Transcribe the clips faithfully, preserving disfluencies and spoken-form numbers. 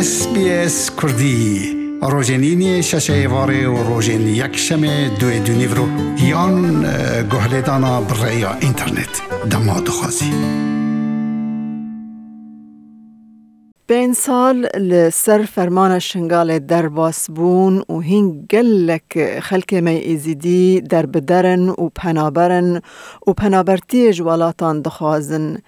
S B S Kurdî, rojên îniyê şeşê êvarê û rojên yekşemê duê dûnîvro yan, e, guhlêdana bi rêya înternet. Dema dixwazî. Pênc sal li ser fermana Şingalê derbas bûn û hîn gelek xelkê me Êzidî derbider in û penaber in û penabertiyê ji welatan dixwazin.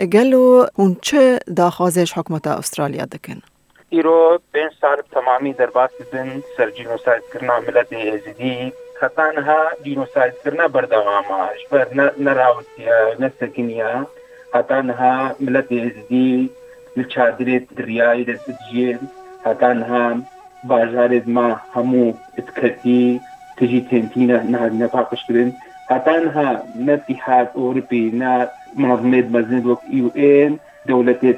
Gelo hûn çi daxwazê ji hikûmeta Astraliya dikin? Îro pênc sal bi temamî derbas dibin ser cînosaydkirina miletê Êzidî. Heta niha cînosaydkirina berdewam e. Ji ber ne, nerawitiye, nesekiniye. Heta niha miletê Êzidî li çadirê di riyayê de dijîn. Heta niha bajarê me hemû diketî, tijî tên tîne, nehatine paqijkirin. Heta niha ne Îtîhad Ewropî, ne menezimêt mezin wek U N, dewletê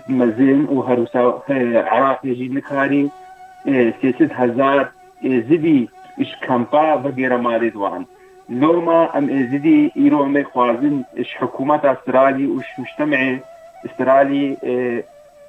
mezin û her wisa, e, Iraqê jî nikarî, e, sê sed hezar Êzidî ji kampa vegêre malê wan. Loma em Êzidî îro em ê xwazin ji hikûmeta Astralî û ji mujtemê Astralî, e,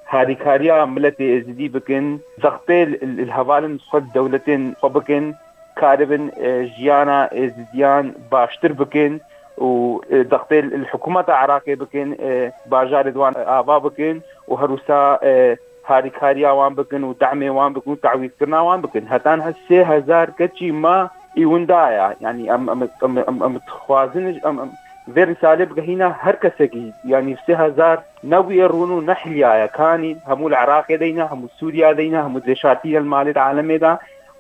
harîkariya miletê Êzidî bikin, zextê li, li hevalên xwe, dewletên xwe bikin, karibin, e, jiyana Êzidiyan baştir bikin û, e, zextê li hikûmeta Iraqê bikin, e, bajarê di wan ava bikin û her wisa, e, harîkariya wan bikin û demê wan bikin û tawîzkirina wan bikin. Heta niha sê hezar keçî ma î winda ye. Yanî em, em, em, em, em dixwazin, em, em vê rîsalê bigehîne her kesekî. Yanî sê hezar ne wî rûn û ne hilya ye. Kanî hemû li Iraqê de yîne, hemû Sûriya de yîne, hemû dibêjin li malê di alemê de.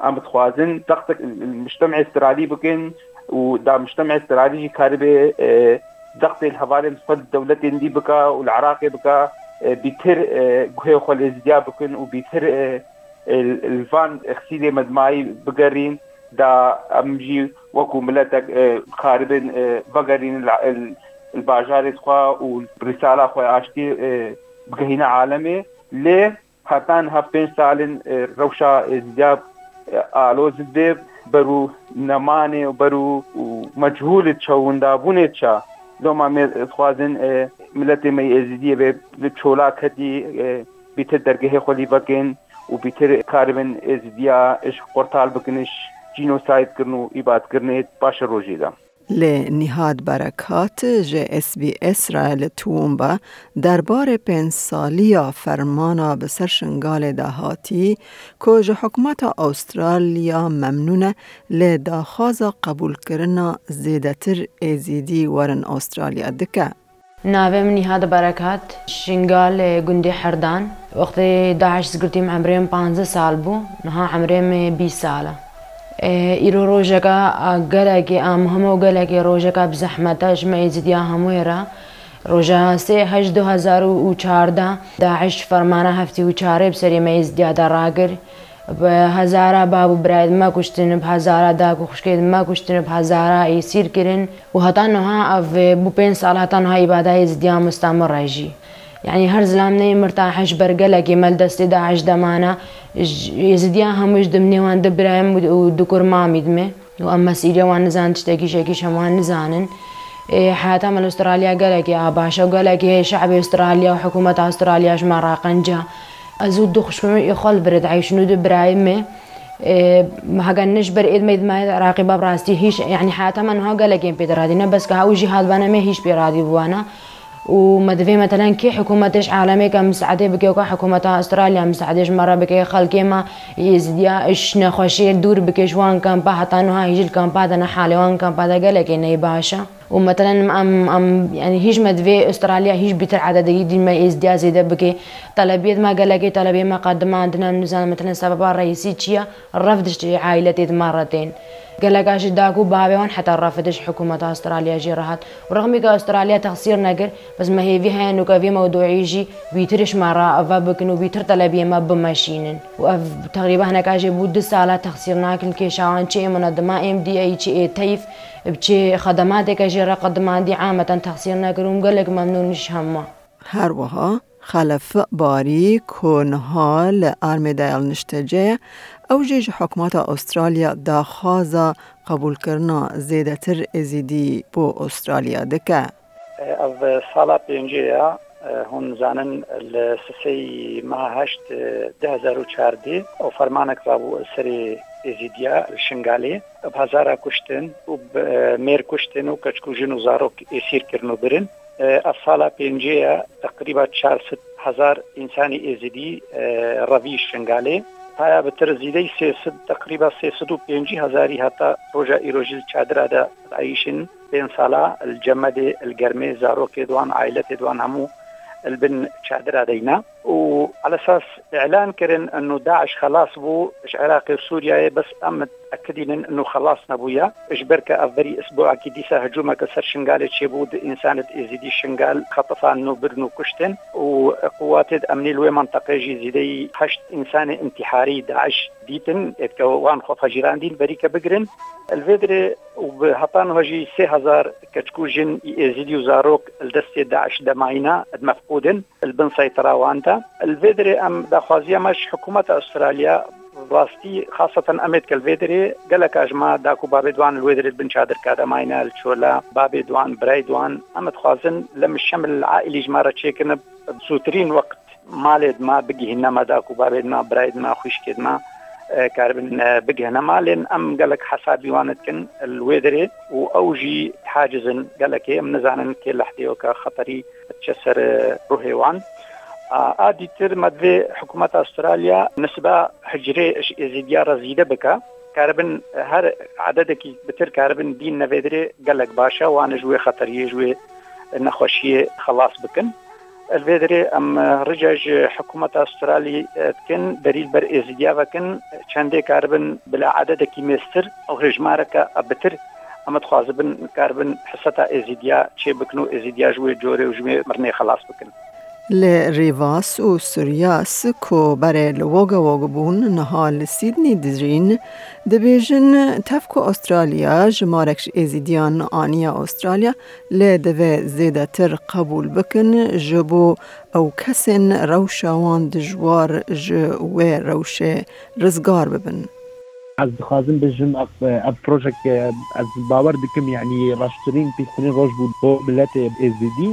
Em dixwazin zextek li mujtemê Astralî bikin û da mujtemê Astralî jî karibê, e, zextê li hevalên xwe di dewletên dî bike û li Iraqê bike, e, bîtir, e, guhê xwe li Êzidiya bikin û bîtir, e, e, li van exîlê me di mayî bigerîn, da em jî wekû miletek, e, karibin, e, vegerîn li, li, li bajarê xwe û rîsala xwe aştî, e, bigehîne alemê. Lê heta niha pênc sal in, e, rewşa Êzidiya, e, aloz dibe, ber û nemanê û ber û, û mechûl çewindabûnê ça. Loma me dixwazin, e, miletê me yê Êzidiyê bê li çola ketî, e, bîtir dergehê xwe lî vekin û bîtir karibin Êzidiya ji qurtal bikin, ji cînosaydkirin û îbadkirinê paşerojê de. Lê Nîhad Berekat ji S B S re li Toowoomba derbarê pênc saliya fermana bi ser Şingalê de hatî, ku ji hikûmeta Astraliya memnûn e, lê daxwaza qebûlkirina zêdetir Êzidî werin Astraliya dike. Navê min Nîhad Berekat, Şingal, e, gundê Herdan. Wextê DAIŞ girtî min emrê min panzdeh sal bû, niha emrê min bîst sal e. E, îro rojeka, a, gelekê a muhim û gelekê rojeka bi zehmet e ji me Êzidiya hemûyê re. Roja sê heşt du hezar û çardeh DAIŞ fermana heftê û çarê bi serê me Êzidiya de ragir. Bi hezara bav û birayê me kuştin, bi hezara dayik û xwişkê me kuştin, bi hezara êsîr kirin û heta niha ev bû pênc sal, heta niha îbada Êzidiya mustemir e jî. Yanî her zilam neyê mirtah ji ber gelekê me li destê DAIŞ de mane. Êzidiya hemû ji dimnê wan du birayê min û du kur mamî dime. Û em mesîriya wan nizanin, tiştekî şekî ji heman nizanin. Ê, heyata me li Astralya gelekî a baş e û gelekî şe'bê Astralya û hikûmeta Astralya ji me re qenc e. Ez û du xwişkên min ê xwe li vir diheyşin û du birayê me. Ê, hege ne ji ber êd me êd me Iraqî be, bi rastî hîç, yanî heyata me niha gelekên pê diradî. Ne bes ka ew jî hat bane me hîç pê radî bû wana. Û me divê metelen kê hikûmetê ji alemê ke misaedê bike, ka hikûmeta Astralya misaedê ji me re bike, xelkê me Êzidiya ji nexweşiyê dûr bike, ji wan kampa heta niha hîj li kampa de ne, halê wan kampa de gelekê neyê baş e. Û metelen em, em, yanî hîç me divê Astralya hîç bîtir ededeyî dîn me Êzidiya zêde bike. Telebiyê me gelekê telebiyê me qedimandin em nizanin metelen sebeba reîsî çi ye? Ref diştê aîletê di me re tên. Geleka ji dak û bavê wan heta ref diş hikûmeta Astralya jî re hat. Û rexmî ke Astralya texsîr nekir, bes me hêvî heye nûke vê mewduî jî bîtir ji me re eve bikin û bîtir telebiyê me bimeşînin. Û ev teqrîben hineka jê bû du sala texsîr nakin li kêşa wan çi ê munedima ê M D A çi ê teyf bi çi xedemateke jê re qedimandî ameten texsîr nekir û gelek memnûn ji hema. Her wiha Xelef Barî ku niha li Armêdayal niştece ye, ew jî ji hikûmeta Astralya daxwaza qebûlkirina zêdetir Êzidî bo Astralya dike. Ev sala pêncê ye E, hûn zanin, li sisê meha heşt, e, du hezar û çardeh û fermanek rabû li serê Êzîdiya li Şingalê. Bi hezara kuştin û bi, e, mêr kuştin û keçik û jin û zarok êsîr kirin û birin. E, ev sala pêncê ye, teqrîba çar sed hezar însanî Êzîdî, e, revî Şingalê. Haya bitir zîdey sê sed, teqrîba sê sed û pêncî hezarî heta roja îrojî li çadira de dieyîşin. Pênc sala li cemedê, li germê, zarokê di wan, aîletê di wan hemû li bin çadira de yîne. Û elesas îlan kirin eno DAIŞ xelas bû ji Iraqê û Sûriyeyê, bes em ekidînin eno xelas nebûye. Ji ber ke ev berî isbuekî dîsa hicûmeke ser Şingalê çêbû, di însanê Êzîdî Şingal xetifan û birin û kuştin û quwatê emnî li wê menteqê jî zîdeyî heşt însanê intîharî DAIŞ dîtin, êdke wan xwe fecîrandîn berîke bigirin. Li vê dirê û bi heta niha jî sê hezar keçik û jin ê Êzîdî û zarok li destê DAIŞ de mayîne, di mefqûd in, li bin seytera wan de. Li vê dirê em daxwaziya me ji hikûmeta Astralya, rastî, xaseten em êdke li vê dirê, geleka ji me dak û babê di wan li wê dirê li bin çadirka de mayîne, li çola babê di wan, birayê di wan. Em dixwazin lem şemil aîlî ji me re çêkin, bi zûtirîn wext malê di me bigihîne, me dak û babê di me, birayê di me, xwişkê di me, e, karibin, e, bigihine malên. Em gelek hesabî wan dikin li wê dirê û ew jî haciz in gelekê. Em nizanin kê lehdê weke xeterî diçe ser, e, ruhê wan. A, a dîtir me divê hikûmeta Astralya nisba hicrê ji Êzîdiya re zîde bike. Karibin her ededekî bitir karibin dîn nevê dirê gelek baş e. Wan ji wê xeteriyê, ji wê nexweşiyê xelas bikin. Li vê dirê em, e, rica ji hikûmeta Astralî, e, dikin, berî li ber Êzîdiya vekin, çendê karibin bila ededekî mêztir, ew hêjmareke bitir, em dixwazibin karibin hiseta Êzîdiya çê bikin û Êzîdiya ji wê corê û ji wê mirinê xelas bikin. Li Rivas û Suryas ku berê li Wogawog bûn, niha li Sydney dijîn, dibêjin, tev ku Astralya jimarek ji Êzîdiyan aniye Astralya, lê divê zêdetir qebûl bikin, ji bo ew kesên rewşa wan dijwar ji wê rewşê rizgar bibin. Ez dixwazim bijim, ev, ev projek, ez bawer dikim, yanî reştirîn, pîstirîn roj bû bo miletê Êzidî.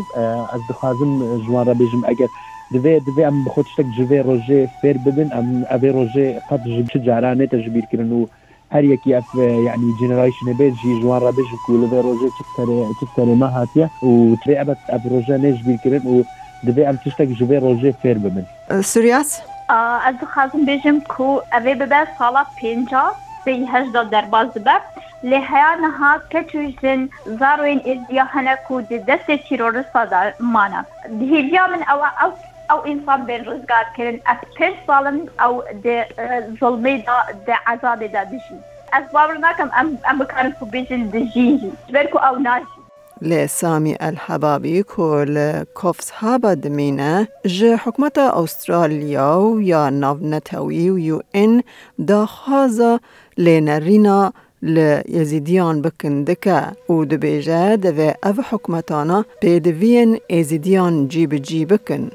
Ez dixwazim ji wan re bêjim, eger divê, divê em bi xwe tiştek ji vê rojê fêr bibin, em evê rojê qet ji çi cara nête ji bîr kirin û her yekî ev, e, yanî generationê bê jî ji wan re bêjin ku li vê rojê çi serê, çi serê me hatiye û divê ebed ev roje nê ji bîr kirin û divê em tiştek ji vê rojê fêr bibin. Suryas? A, ez dixwazim bêjim ku ev ê bibe sala pênca, sê hejda derbas dibe. Lê heya niha keç û jin, zarokên Êzidiya hene ku di destê terorista de mane. Di hêviya min ew e, ew, ew însan bên rizgar kirin. Ev pênc sal in ew di, e, zulmê de, di ezabê de dijîn. Ez bawer nakim em, em bikarin ku bêjin dijîn jî. Ji ber ku ew najîn. Lê Samî El Hebabî ku li Coffs Harbour dimîne, ji hikûmeta Astralya û ya navnetewî û U N daxwaza lênerîna li Êzîdiyan bikin dike û dibêje, divê ev hikûmetana pêdiviyên Êzîdiyan cî bi cî bikin.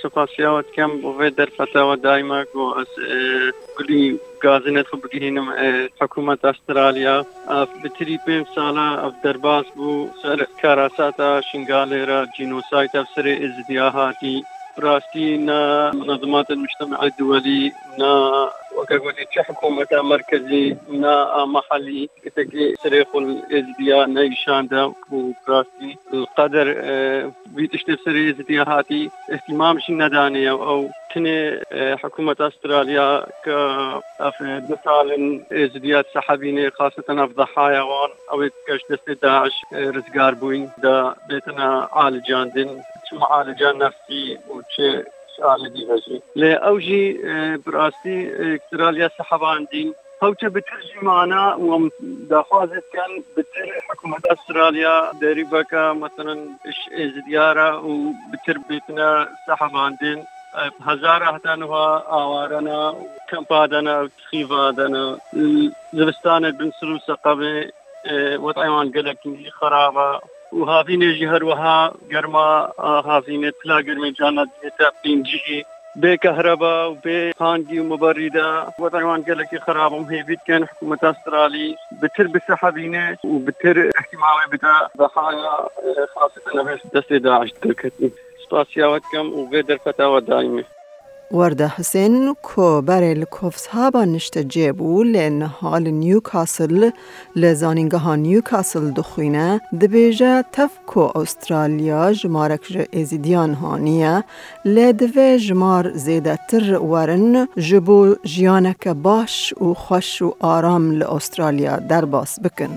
Spasiya we dikim bo vê derfeta we daîma ku ez, e, gulî gazînê xwe bigihînim, e, hikûmeta Astralya. Ev bitirî pênc sala ev derbas bû ser karasata Şingalê re, cînosayt ev serê Êzidiya hatî. Bi rastî ne munezimatên mujtemea duwelî, ne weke gotî çi hikûmeta merkezî, ne a mehelî, kesekî serê xwe li Êzidiya neyşande û bi rastî li qeder, e, vî tiştê serê Êzidiya hatî îhtîmam jî nedanê ye. Ew tinê, e, hikûmeta Astralya ke ev, e, du sal in Êzidiya sehebînê, xaseten ev dehaya wan, ew ê dike ji destê DAIŞ, e, rizgar bûyîn de bêtine alicandin, çi mualica nefsî û çi ji alî dî ve jî. Lê ew jî, e, bi rastî, e, Astralya sehebandîn. Hewce bitir jî mane û em daxwazê dikin bitir hikûmeta Astralya derî veke, meselen, ji Êzidiya re û bitir bêtine sehebandin. E, hezara heta niha aware ne û kempa de ne û tixîva de ne. Zivistanê bin Sir û Seqebê, e, wed'ê wan gelekî xerab e. Û havînê jî her wiha germa, a, havînê, pila germê carna dihête pêncî. Bê kehreba û bê hangî û miberî de wed'ê wan gelekî xerab e. Em hêvî dikin hikûmeta Astralî bitir bisehebîne û bitir îhtîmamê bide dehaya, e, xaseten ev ê destê DAIŞ derketî. Spasiya we dikim û vê derfeta we daîmê. Werda Husên ku berê li Coffs Hub-a niştecê bû, lê niha li Newcastle, li Zanîngeha Newcastle dixwîne, dibêje tev ku Astralya jimarek ji Êzîdiyan haniye, lê divê jimar zêdetir werin ji bo jiyaneke baş û xweş û aram li Astralya derbas bikin.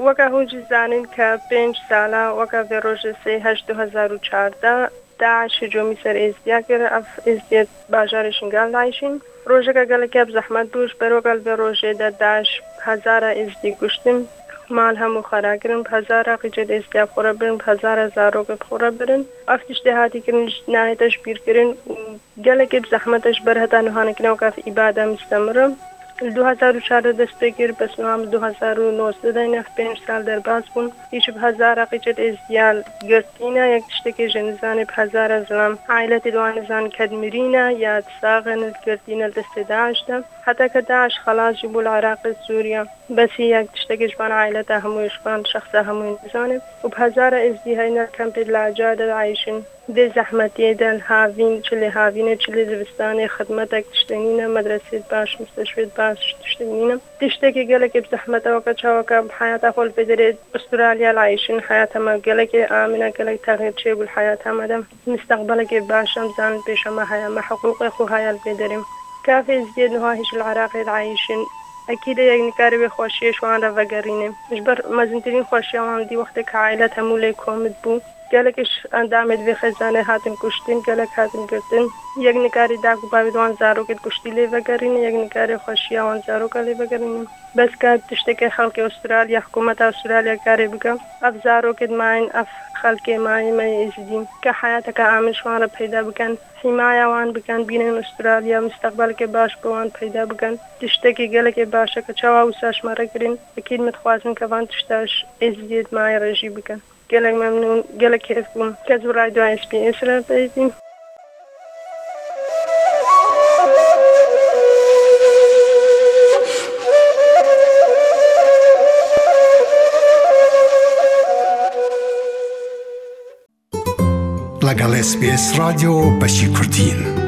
Weke hûn jî zanîn ke pênc sala weke vê rojê sê heşt du hezar û çardeh, DAIŞ hicûmî ser Êzdiya kir. Ev Êzdiyê bajarê Şingal de eyşîn. Rojeke gelekî bi zehmet bû, ji ber weke li vê rojê de DAIŞ hezara Êzdî kuştin, mal hemû xera kirin, bi hezara qîcê Êzdiya bi xwe re birin, bi hezara zarok bi xwe re birin. Ev tiştê hatî kirin, ji nayête ji bîr kirin û gelekî bi zehmet e, ji ber heta niha nekine weke ev îbade mistemir e. Li du hezar û çardeh dest pê kir, bes niha li du hezar û nozdeh de ne pênc sal derbas bûn. Îşî bi hezara qîcê Êzdiya girtîne, yek tiştekê jî nizane, bi hezara zilam aîletê di wan nizan ked mirîne ya di sax in, girtîne li destê DAIŞ de. Heta ke DAIŞ xelas jî bû li Iraqê, Sûriye, besî yek tiştekê ji van aîleta hemûyê, ji van şexsa hemûyê nizane. Û bi hezara Êzdî heyne li kempê di Laca de dieyşin. Dê zehmetiyê de li havîn, çi lê havînê, çi lê zivistanê, xidmetek tiştê nîne, medresê baş, musteshfê baş tiştê nîne. Tiştekî gelekî bi zehmet e, weke çaweke bi heyata xwe li vê derê Astralya li eyşin, heyata me gelekê amine, gelek texyir çêbû li heyata me de. Misteqbelekê baş em zanin pêşe me heye, me hiqûqê xwe heye li vê derê. Kafê Êzdiyê niha hîş li Iraqê dieyşin. Ekîd e yek nikarê wê xweşiyê ji wan re vegerîne. Ji ber mezintirîn xweşiya wan dî wextê ke aîlet hemû lê komit bû. Gelek ji endamê di vê xêzanê hatin kuştin, gelek hatin girtin. Yek nikarî da ku bavê di wan zarokê di kuştî lê vegerîne, yek nikarê xweşiya wan zaroka lê vegerîne. Bes ka tiştekê xelkê Astralya, hikûmeta Astralya karê bike, ev zarokê dimayîn, ev xelkê mayî me yê Êzidî, ke heyateke amin ji wan re peyda bikin, hîmaya wan bikin, bînin Astralya, misteqbelekê baş bo wan peyda bikin. Tiştekî gelekê baş e ke çawa wisa ji me re kirin, ekîd me dixwazin ke van tişta ji Êzidiyê dimayî re jî bikin. Gelek memnûn, gelek kêf bûm ke ez bi radyoya S B S re peyvîm. لەگەڵ S B S رادیۆ بەشی کوردین.